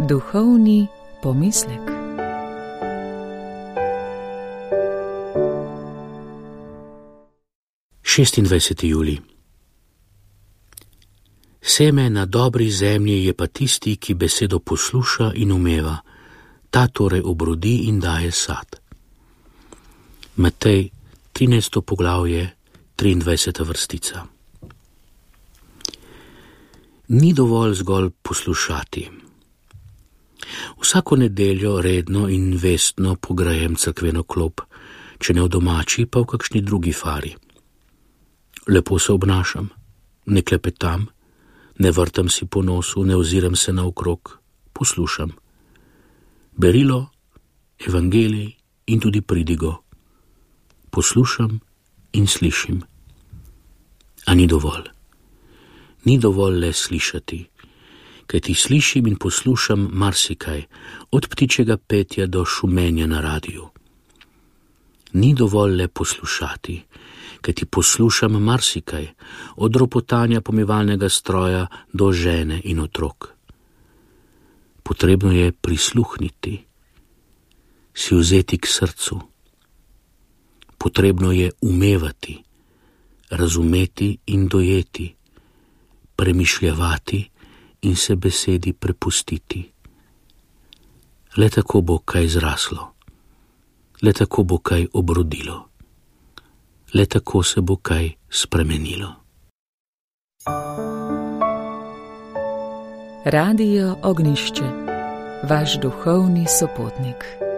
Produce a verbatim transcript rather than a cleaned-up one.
Duhovni pomislek. šestindvajseti julij. Seme na dobri zemlji je pa tisti, ki besedo posluša in umeva, ta torej obrodi in daje sad. Matej, trinajsto poglavje, triindvajseta vrstica. Ni dovolj zgolj poslušati. Vsako nedeljo redno in vestno pogrejem cerkveno klop, če ne v domači, pa v kakšni drugi fari. Lepo se obnašam, ne klepetam, ne vrtam si po nosu, ne oziram se naokrog, poslušam. Berilo, evangelij in tudi pridigo. Poslušam in slišim. A ni dovolj. Ni dovolj le slišati, kajti slišim in poslušam marsikaj, od ptičjega petja do šumenja na radiju. Ni dovolj le poslušati, kajti poslušam marsikaj, od ropotanja pomivalnega stroja do žene in otrok. Potrebno je prisluhniti, si vzeti k srcu. Potrebno je umevati, razumeti in dojeti, premišljavati in se besedi prepustiti. Le tako bo kaj zraslo, le tako bo kaj obrodilo, le tako se bo kaj spremenilo. Radio Ognjišče, vaš duhovni sopotnik.